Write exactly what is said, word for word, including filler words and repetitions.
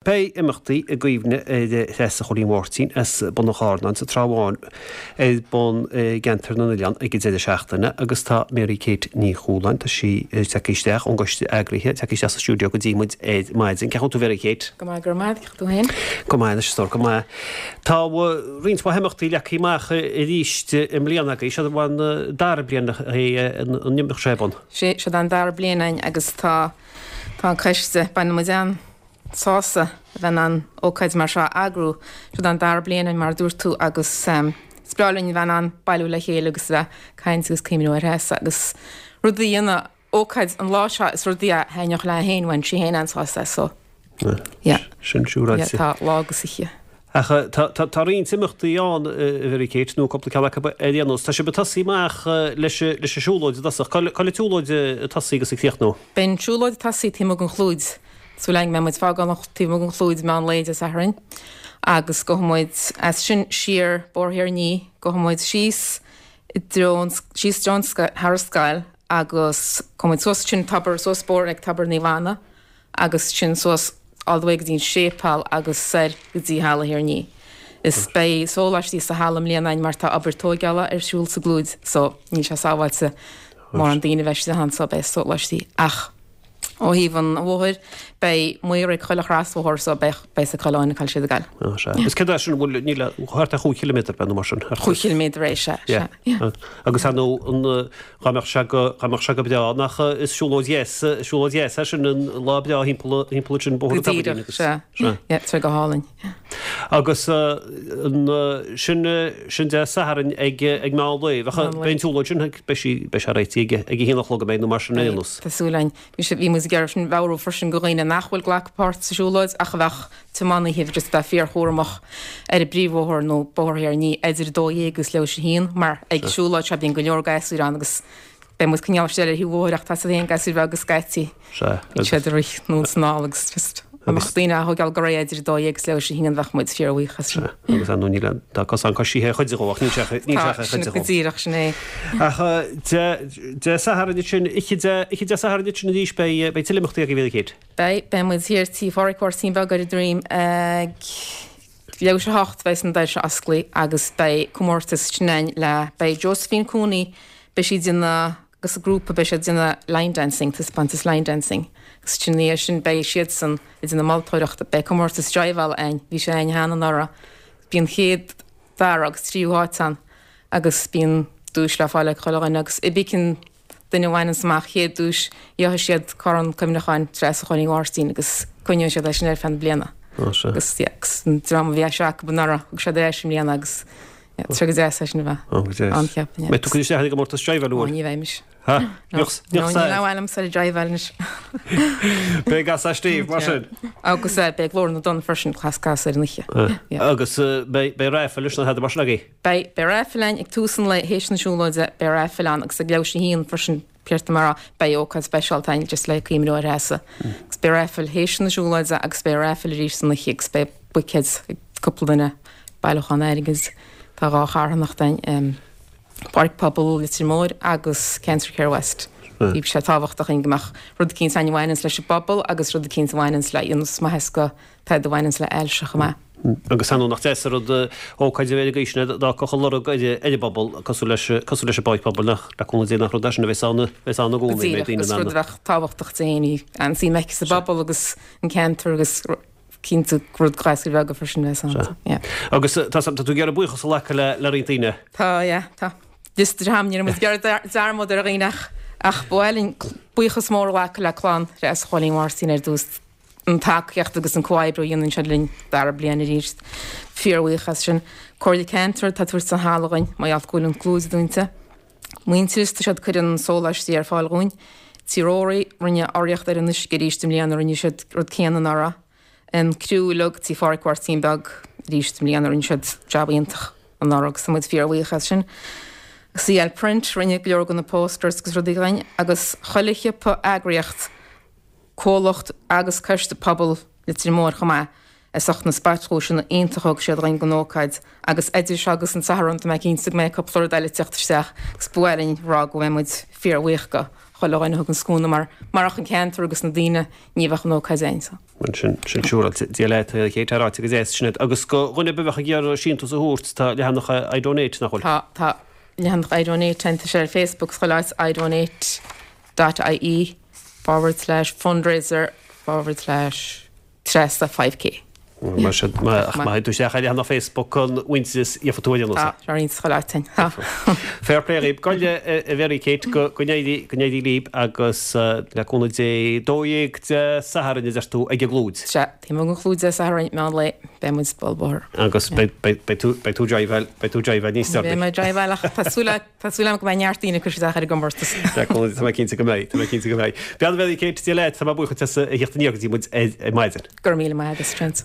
Beidh imeachtaí i gcuimhne ar Threasa Chóilín Mháirtín as Bun an Charnáin sa Trá Bháin ar bun i gceantar na nOileán ag an deireadh seachtaine agus tá Mary Kate Ní Chualáin, tá sí tagtha isteach ón gcoiste eagraithe, tagtha isteach sa stiúideo go dtí muid ar maidin. Cén chaoi a bhfuil tú Mary Kate? Go maith, go raibh maith agat, tú féin? Go maith anois, a stór, go maith. Tá roinnt mhaith imeachtaí leagtha amach arís i mbliana agaibh, seo an dara bliain é an imeacht seo ar bun. Sé, seo an dara bliain againn agus tá tá an coiste, baineann muid an-sásamh a bheith in ann ócáid mar seo a eagrú. Seo an dara bliain againn mar a dúirt tú agus is breá linn a bheith in ann bailiú le chéile agus a bheith ag caint agus cuimhniú ar Threasa agus rud a dhéanamh ócáid an lá seo is rud a thaitneodh léi féin, bhain sí féin an-sásamh as so yeah. Sin siúráilte. Yeah, tá lá agus oíche. Ach tá roinnt imeachtaí ann, a Mhary Kate, nó cúpla ceann acu ar aon nós. Tá sibh ag tosaí amach leis an siúlóid i dtosach. Cá bhfuil an tsiúlóid ag tosaí agus ag críochnú? Beidh an tsiúlóid ag tosaí taobh amuigh den Chlúid. Súil againn go mbeidh muid ag fágáil taobh amuigh den Chlúid meán lae Dé Sathairn agus gabhfaidh muid as sin siar Bóthar Thír an Fhia, gabhfaidh muid síos i dtreo an, síos i dtreo an thar an scoil agus gabhfaidh muid suas sin tobar, suas bóthar ag Tobar Naomh Anna agus sin suas all the way go dtí an séipéal agus soir go dtí Halla Thír an Fhia. Is beidh sóláistí sa halla i mbliana againn mar tá obair tóigeála ar siúl sa gClúid so níl sé sábháilte mórán daoine a bheith istigh ann so beidh sóláistí ach ó thaobh an bhóthair beidh maor ag chuile chrosbhóthar so beidh beidh sa chuile áit cá bhfuil siad ag gabháil. Sea. Is céard é sin an bhfuil níl thart ar chúig chiliméadar beidh nó mar sin. Chúig chiliméadar é sea, sea. Yeah. Agus ar ndóigh an dá mbeadh sé go dá mbeadh sé go breá nach is siúlóid dheas siúlóid dheas é sin an lá breá thimpeall thimpeall ansin Bóthar Go an Tobair díreach, agus sea. sea. Yeah, tá sé go hálainn. Yeah. Agus an sin sin Dé Sathairn ag ag meán lae. Bheadh Meán lae. beidh an tsiúlóid sin beidh sí beidh sé réitithe ag ag a haon a chlog an mbeidh nó mar sin ar aon Beidh, nós. tá súil againn. Bhí sé bhí muid ag iarraidh sin mheabhrú freisin go dhaoine nach bhfuil glacadh páirt sa siúlóid ach a bheadh tiománaithe just bheith fíorchúramach ar an bpríomhbhóthar nó Bóthar Thír an Fhia idir a dó dhéag agus leathuair tar éis a haon mar ag siúlóid seo bíonn go leor gasúir ann agus beidh muid coinneáil siar ar thaobh an bhóthair ach tá a fhios agat féin gasúir bheaga scaití Sea, bíonn siad ag rith anonn is anall agus just dá mbeadh daoine á thógáil go réidh idir a dó dhéag agus leathuair tar éis a haon bheadh muid fíorbhuíoch as sin. Sea, agus ar ndóigh níl aon tá cosán coisithe ar chuid dhó ach níl sé níl sé Tá, ar sin chuid go dhó. díreach sin é. Ach Dé Dé Sathairn ansin oíche Dé oíche Dé Sathairn ansin arís beidh beidh tuilleadh imeachtaí agaibh a Mhary Kate. Beidh, beidh muid thiar tí Phádraic Mháirtín Beag ar an Droim ag leathuair tar éis a hocht beidh na doirse osclaithe agus beidh comórtas sin againn le beidh Josephine Cooney beidh sí ag déanamh agus a grúpa beidh siad ag déanamh line dancing, taispeántas line dancing agus sin ina dhiaidh sin beidh siadsan ag déanamh moltóireachta, beidh comórtas driveála againn, bhí sé againn cheana anuraidh, bíonn chéad, dara agus tríú háit ann agus bíonn duais le fáil ag chuile dhuine agus cibé cén duine a bhaineanns amach chéad duais gheobhaidh siad corn cuimhneacháin Treasa Chóilín Mháirtín agus coinneoidh siad é sin ar feadh na bliana. Agus yeah, agus an dream a bhí sé acu anuraidh thug siad ar ais i mbliana agus yeah, tá sé go deas é sin a bheith Ó, go deas. ann cheapfainn, yeah. Mbeidh tú ag cur isteach ar an gcomórtas driveáil Ó, bhfuil? ní bheidh mise. Ha? No, Níoch no, níoch níl said. aon ainm ar an driveáil anois. Beidh gas as Steve, mar sin. Agus eh, beidh Glór na dTonn freisin cleas cas ar an oíche. Yeah. Agus eh, beidh beidh raifil leis na hada mar sin agaibh. Beidh beidh raifil ann ag tús an lae théis na siúlóide, beidh raifil ann agus ag leathuair tar éis a haon freisin céard mar beidh ócáid speisialta ann just le cuimhniú ar Threasa. Agus beidh raifil théis na siúlóide agus beidh raifil arís san oíche agus beidh buicéid ag cúpla duine bailiúchán airgid. Tá dhá charthanacht ann, um, Páirc Pobail Leitir Móir agus Cancer Care West. Bhí sé tábhachtach go mbeadh rud eicínt ann a bhaineanns leis an bpobal agus rud eicínt a bhaineanns le ionas maitheas go tada a bhaineanns le ailse chomh maith. Agus ar ndóigh nach deas an rud ócáid a bheith ag aois na d'fhágfadh a lorg ar ar an bpobal cosúil leis cosúil leis an bPáirc Pobail nach le cúnamh Dé nach rud é sin a bheas ann a bheas ann i Go gcónaí mbeidh díreach daoine agus in ann rud a bheadh tábhachtach d'éinne an suim aici sa bpobal agus an ceantar agus cinnte rud gasúir bheaga freisin bheas ann. Yeah. Agus tá tá tú ag iarraidh buíochas a ghlacadh le le roinnt daoine. Tá, yeah, tá. Liosta de ham, ní raibh muid ag iarraidh dearmad ar dhaoine ach ach ba mhaith linn buíochas mór a ghlacadh le clann Threasa Chóilín Mháirtín ar dtús an tacaíocht agus an comhoibriú a dhéanann siad linn dara bliain arís. Fíorbhuíoch as sin. Comhairle Ceantair atá ag tabhairt an halla dhúinn, mar gheall go bhfuil an Clúid dúnta. Muintearas, tá siad ag cur an sóláistí ar fáil dhúinn. Tí Rory, rinne urraíocht ar an uisce arís i mbliana, rinne siad rud céanna anuraidh. An criú uilig, Tí Phádraic Mháirtín Beag arís i mbliana, rinne siad jab iontach anuraidh agus tá muid fíorbhuíoch as sin. CL Print, rinne go leor de na posters agus rudaí dhúinn agus chuile shiopa eagraíocht, comhlacht agus coiste pobail Leitir Móir chomh maith as ucht na spotdhuaiseanna iontacha a thug siad dhúinn don ócáid agus idir seo agus an Satharn tá mé cinnte go mbeidh cúpla rud eile ag teacht isteach agus ba mhaith linn rá go bhfuil muid fíorbhuíoch go chuile dhuine a thuganns cúnamh mar marach an ceantar agus na daoine ní bheadh an ócáid ann so. Sin sin siúráilte. Dia leat a Kate, tá ráite go deas sin agus go dhuine a bheadh ag iarraidh síntiús a thabhairt tá leathanach iDonate nach bhfuil? Tá tá leathanach iDonate tá sé ar Facebook chuile áit idonate dot ie forward slash fundraiser forward slash Treasa five K. Mar sin, má théann tú isteach ar leathanach Facebook an Mhuintearais gheobhaidh tú aon Tá, tá roinnt chuile áit ann. Tá. Fair play dhaoib. Goile a Mhary Kate go n-éirí go n-éirí libh agus le cúnamh Dé dó dhéag Dé Sathairn a deir tú ag an gClúid. Sea, taobh amuigh den Chlúid Dé Sathairn, meán lae, beidh muid sa bhóthar. Agus beidh beidh tú beidh tú driveáil beidh tú driveáil níos deireanaí. Beidh mé driveáil ach tá súil tá súil agam go mbeidh neart daoine ag cur isteach ar an gcomórtas. Le cúnamh Dé tá mé cinnte go mbeidh, tá mé cinnte go mbeidh. Bean Mhary Kate, Dia leat, tá mé buíoch duit as a theacht aniar go dtí muid ar maidin. Go raibh míle maith agat, Trent.